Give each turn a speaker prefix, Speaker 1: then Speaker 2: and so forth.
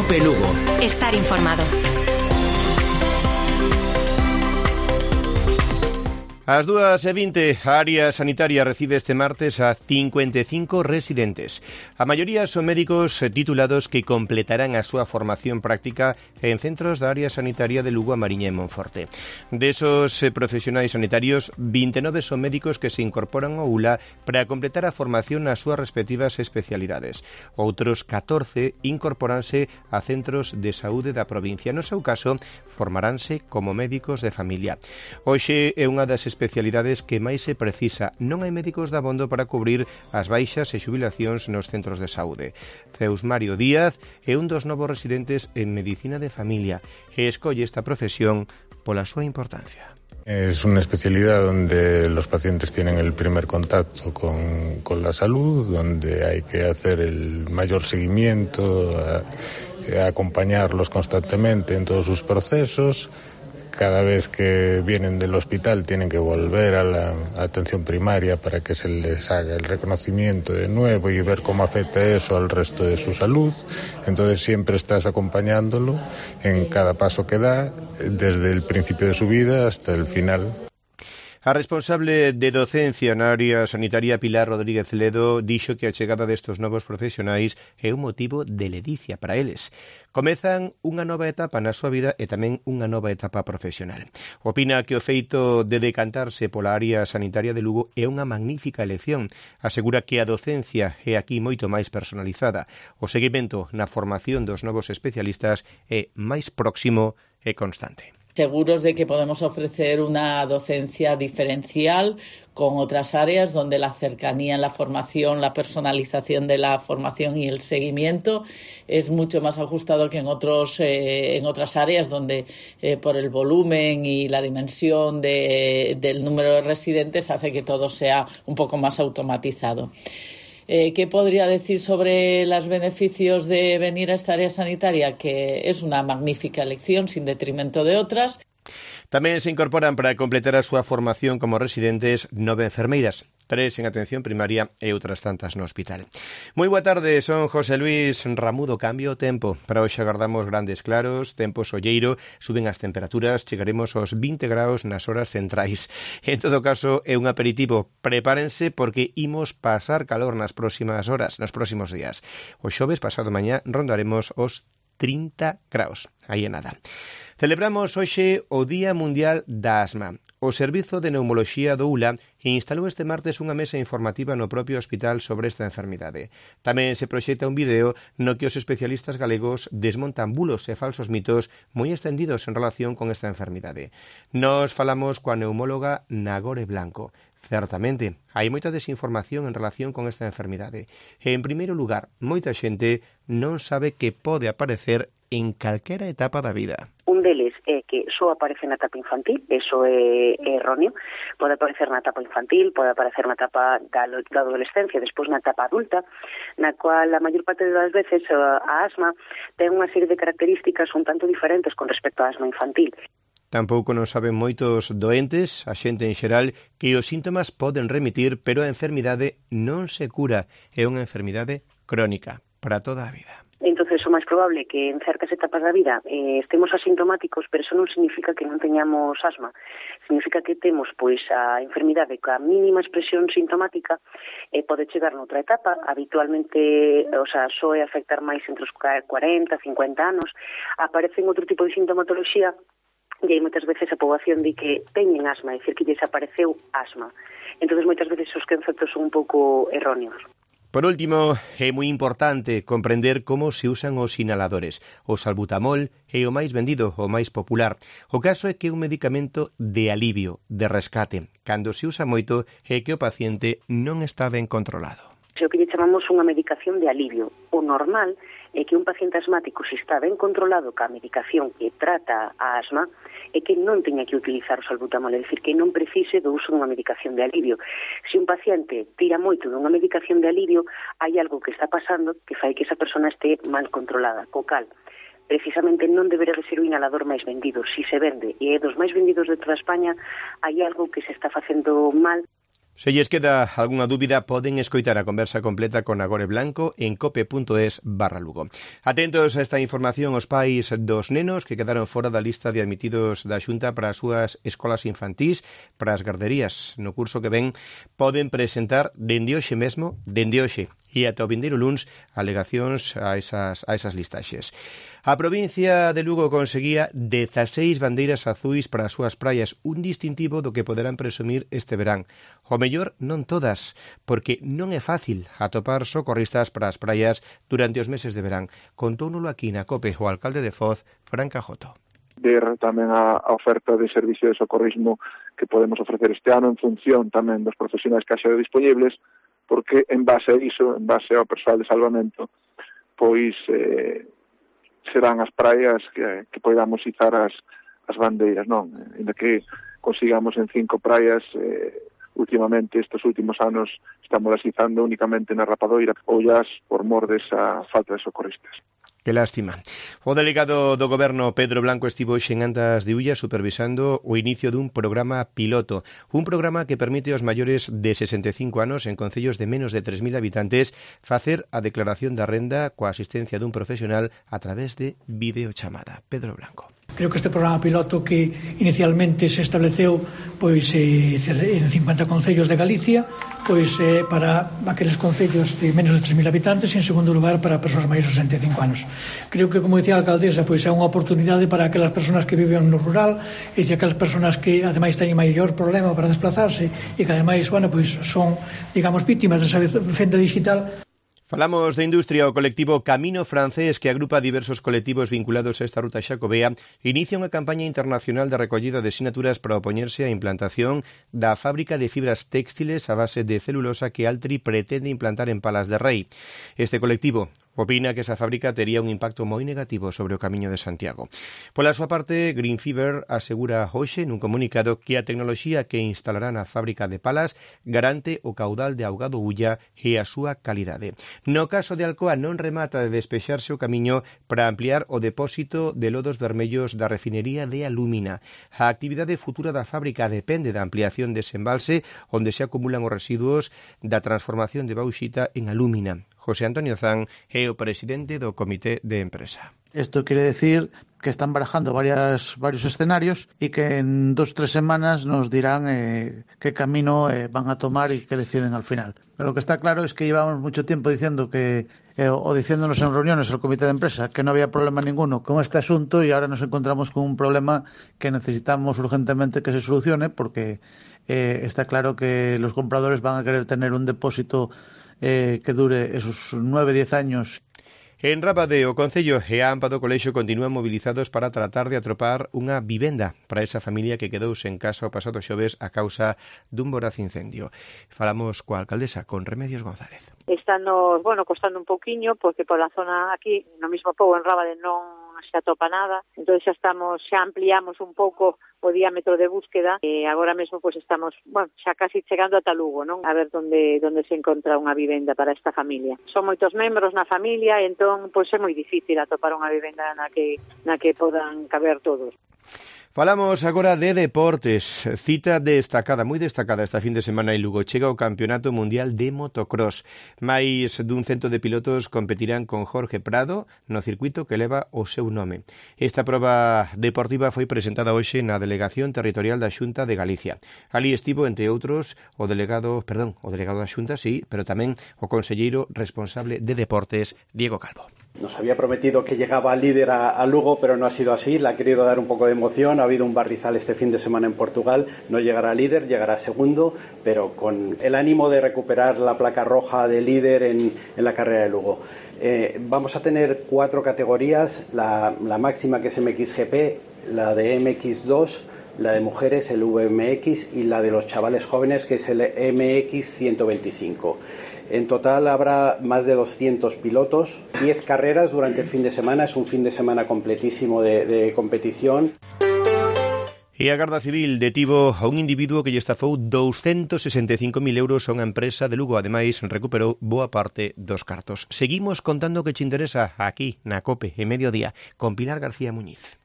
Speaker 1: Cope Lugo.
Speaker 2: Estar informado.
Speaker 3: Ás 2:20, a área sanitaria recibe este martes a 55 residentes. A maioría son médicos titulados que completarán a súa formación práctica en centros da área sanitaria de Lugo, a Mariña e Monforte. Desos profesionais sanitarios, 29 son médicos que se incorporan ao ULA para completar a formación nas súas respectivas especialidades. Outros 14 incorporanse a centros de saúde da provincia. No seu caso, formaranse como médicos de familia. Hoxe é unha das especialidades que máis se precisa. Non hai médicos de abondo para cubrir as baixas e xubilacións nos centros de saúde. Zeus Mario Díaz é un dos novos residentes en Medicina de Familia e escolle esta profesión pola súa importancia.
Speaker 4: Es una especialidad donde los pacientes tienen el primer contacto con la salud, donde hay que hacer el mayor seguimiento, acompañarlos constantemente en todos sus procesos. Cada vez que vienen del hospital tienen que volver a la atención primaria para que se les haga el reconocimiento de nuevo y ver cómo afecta eso al resto de su salud. Entonces siempre estás acompañándolo en cada paso que da, desde el principio de su vida hasta el final.
Speaker 3: A responsable de docencia na área sanitaria, Pilar Rodríguez Ledo, dixo que a chegada destes novos profesionais é un motivo de ledicia para eles. Comezan unha nova etapa na súa vida e tamén unha nova etapa profesional. Opina que o feito de decantarse pola área sanitaria de Lugo é unha magnífica elección. Asegura que a docencia é aquí moito máis personalizada. O seguimento na formación dos novos especialistas é máis próximo e constante.
Speaker 5: Seguros de que podemos ofrecer una docencia diferencial con otras áreas donde la cercanía en la formación, la personalización de la formación y el seguimiento es mucho más ajustado que en otras áreas donde por el volumen y la dimensión del número de residentes hace que todo sea un poco más automatizado. ¿Qué podría decir sobre los beneficios de venir a esta área sanitaria? Que es una magnífica elección sin detrimento de otras.
Speaker 3: Tamén se incorporan para completar a súa formación como residentes 9 enfermeiras, 3 en atención primaria e outras tantas no hospital. Moi boa tarde, son José Luis Ramudo. Cambio o tempo. Para hoxe agardamos grandes claros, tempo solleiro, suben as temperaturas, chegaremos aos 20 graus nas horas centrais. En todo caso, é un aperitivo. Prepárense porque imos pasar calor nas próximas horas, nos próximos días. O xoves pasado mañá rondaremos os 30 graus. Aí é nada. Celebramos hoxe o Día Mundial da Asma. O Servizo de Neumoloxía do ULA instalou este martes unha mesa informativa no propio hospital sobre esta enfermidade. Tamén se proxecta un vídeo no que os especialistas galegos desmontan bulos e falsos mitos moi extendidos en relación con esta enfermidade. Nos falamos coa neumóloga Nagore Blanco. Certamente, hai moita desinformación en relación con esta enfermidade. En primeiro lugar, moita xente non sabe que pode aparecer en calquera etapa da vida.
Speaker 6: Un deles é que só aparece na etapa infantil, eso é erróneo. Pode aparecer na etapa infantil, pode aparecer na etapa da adolescencia, despois na etapa adulta, na cual a maior parte das veces a asma ten unha serie de características un tanto diferentes con respecto á asma infantil.
Speaker 3: Tampouco non saben moitos doentes, a xente en xeral, que os síntomas poden remitir, pero a enfermidade non se cura. É unha enfermidade crónica para toda a vida.
Speaker 6: Entonces, o máis probable é que en certas etapas da vida estemos asintomáticos, pero eso non significa que non teñamos asma. Significa que temos pois a enfermidade coa mínima expresión sintomática e pode chegar noutra etapa. Habitualmente, soe afectar máis entre os 40, 50 anos. Aparecen outro tipo de sintomatoloxía e hai moitas veces a poboación di que teñen asma, é dicir, que desapareceu asma. Entonces, moitas veces os conceptos son un pouco erróneos.
Speaker 3: Por último, é moi importante comprender como se usan os inhaladores. O salbutamol é o máis vendido, o máis popular. O caso é que é un medicamento de alivio, de rescate. Cando se usa moito é que o paciente non está ben controlado.
Speaker 6: O que lle chamamos unha medicación de alivio. O normal é que un paciente asmático, se está ben controlado ca medicación que trata a asma, é que non teña que utilizar o salbutamol, é dicir, que non precise do uso dunha medicación de alivio. Se un paciente tira moito dunha medicación de alivio, hai algo que está pasando que fai que esa persona este mal controlada, co cal precisamente non debería de ser o inhalador máis vendido. Si se vende e é dos máis vendidos de toda España, hai algo que se está facendo mal.
Speaker 3: Se lles queda algunha dúbida, poden escoitar a conversa completa con Nagore Blanco en cope.es/Lugo. Atentos a esta información os pais dos nenos que quedaron fora da lista de admitidos da Xunta para as súas escolas infantís, para as garderías. No curso que ven poden presentar dende hoxe mesmo, e ata o vindeiro luns, alegacións a esas listaxes. A provincia de Lugo conseguía 16 bandeiras azuis para as súas praias, un distintivo do que poderán presumir este verán. O mellor non todas, porque non é fácil atopar socorristas para as praias durante os meses de verán. Contóuno aquí na COPE o alcalde de Foz, Fran Cajoto.
Speaker 1: Ver tamén a oferta de servicio de socorrismo que podemos ofrecer este ano en función tamén dos profesionais que haxa disponibles, porque en base a iso, en base ao persoal de salvamento, pois serán as praias que podamos izar as bandeiras, non? Ainda que consigamos en 5 praias, últimamente, estes últimos anos, estamos as izando únicamente na Rapadoira, ollas por mor desa falta de socorristas.
Speaker 3: Que lástima. O delegado do Goberno Pedro Blanco estivo hoxe en Andas de Ulla supervisando o inicio dun programa piloto, un programa que permite aos maiores de 65 anos en concellos de menos de 3.000 habitantes facer a declaración da renda coa asistencia dun profesional a través de videochamada. Pedro Blanco.
Speaker 2: Creo que este programa piloto que inicialmente se estableceu pois en 50 concellos de Galicia, pois para aqueles concellos de menos de 3.000 habitantes e en segundo lugar para persoas maiores de 65 anos. Creo que, como decía a alcaldesa, pois é unha oportunidade para aquelas persoas que viven no rural e aquelas persoas que ademais teñen maior problema para desplazarse e que ademais, pois son, digamos, vítimas desa fenda digital.
Speaker 3: Falamos de industria. O colectivo Camino Francés, que agrupa diversos colectivos vinculados a esta ruta xacobea, inicia unha campaña internacional de recollida de sinaturas para opoñerse á implantación da fábrica de fibras téxtiles a base de celulosa que Altri pretende implantar en Palas de Rei. Este colectivo opina que esa fábrica tería un impacto moi negativo sobre o Camiño de Santiago. Pola súa parte, Green Fiber asegura hoxe nun comunicado que a tecnoloxía que instalará na fábrica de Palas garante o caudal de augado Ulla e a súa calidade. No caso de Alcoa non remata de despexarse o camiño para ampliar o depósito de lodos vermellos da refinería de Alúmina. A actividade futura da fábrica depende da ampliación dese embalse onde se acumulan os residuos da transformación de bauxita en alúmina. José Antonio Zan é o presidente do Comité de Empresa.
Speaker 7: Esto quiere decir que están barajando varios escenarios y que en 2-3 semanas nos dirán qué camino van a tomar y qué deciden al final. Pero lo que está claro es que llevamos mucho tiempo diciendo o diciéndonos en reuniones el comité de empresa que no había problema ninguno con este asunto y ahora nos encontramos con un problema que necesitamos urgentemente que se solucione porque está claro que los compradores van a querer tener un depósito que dure esos 9-10 años.
Speaker 3: En Rábade, o Concello e a AMPA do Colexio continúan movilizados para tratar de atopar unha vivenda para esa familia que quedou sen casa o pasado xoves a causa dun voraz incendio. Falamos coa alcaldesa, con Remedios González.
Speaker 8: Estamos, costando un pouquiño, porque pola zona aquí, no mismo pouco en Rábade non se atopa nada, entón xa ampliamos un pouco o diámetro de búsqueda e agora mesmo pois estamos, xa casi chegando ata Lugo, non? A ver onde se encontra unha vivenda para esta familia. Son moitos membros na familia, e entón pois é moi difícil atopar unha vivenda na que podan caber todos.
Speaker 3: Falamos agora de deportes. Cita destacada, moi destacada esta fin de semana en Lugo. Chega o Campeonato Mundial de Motocross. Máis dun cento de pilotos competirán con Jorge Prado no circuito que leva o seu nome. Esta proba deportiva foi presentada hoxe na Delegación Territorial da Xunta de Galicia. Ali estivo, entre outros, o delegado da Xunta, sí, pero tamén o conselleiro responsable de deportes, Diego Calvo.
Speaker 9: Nos había prometido que llegaba líder a Lugo, pero no ha sido así. Le ha querido dar un poco de emoción. Ha habido un barrizal este fin de semana en Portugal. No llegará líder, llegará segundo, pero con el ánimo de recuperar la placa roja de líder en la carrera de Lugo. Vamos a tener 4 categorías. La máxima, que es MXGP, la de MX2, la de mujeres, el VMX, y la de los chavales jóvenes, que es el MX125. En total habrá más de 200 pilotos, 10 carreras durante el fin de semana. Es un fin de semana completísimo de competición.
Speaker 3: E a Garda Civil detivo a un individuo que lle estafou 265.000 euros a unha empresa de Lugo. Ademais, recuperou boa parte dos cartos. Seguimos contando o que che interesa aquí na COPE, en Mediodía, con Pilar García Muñiz.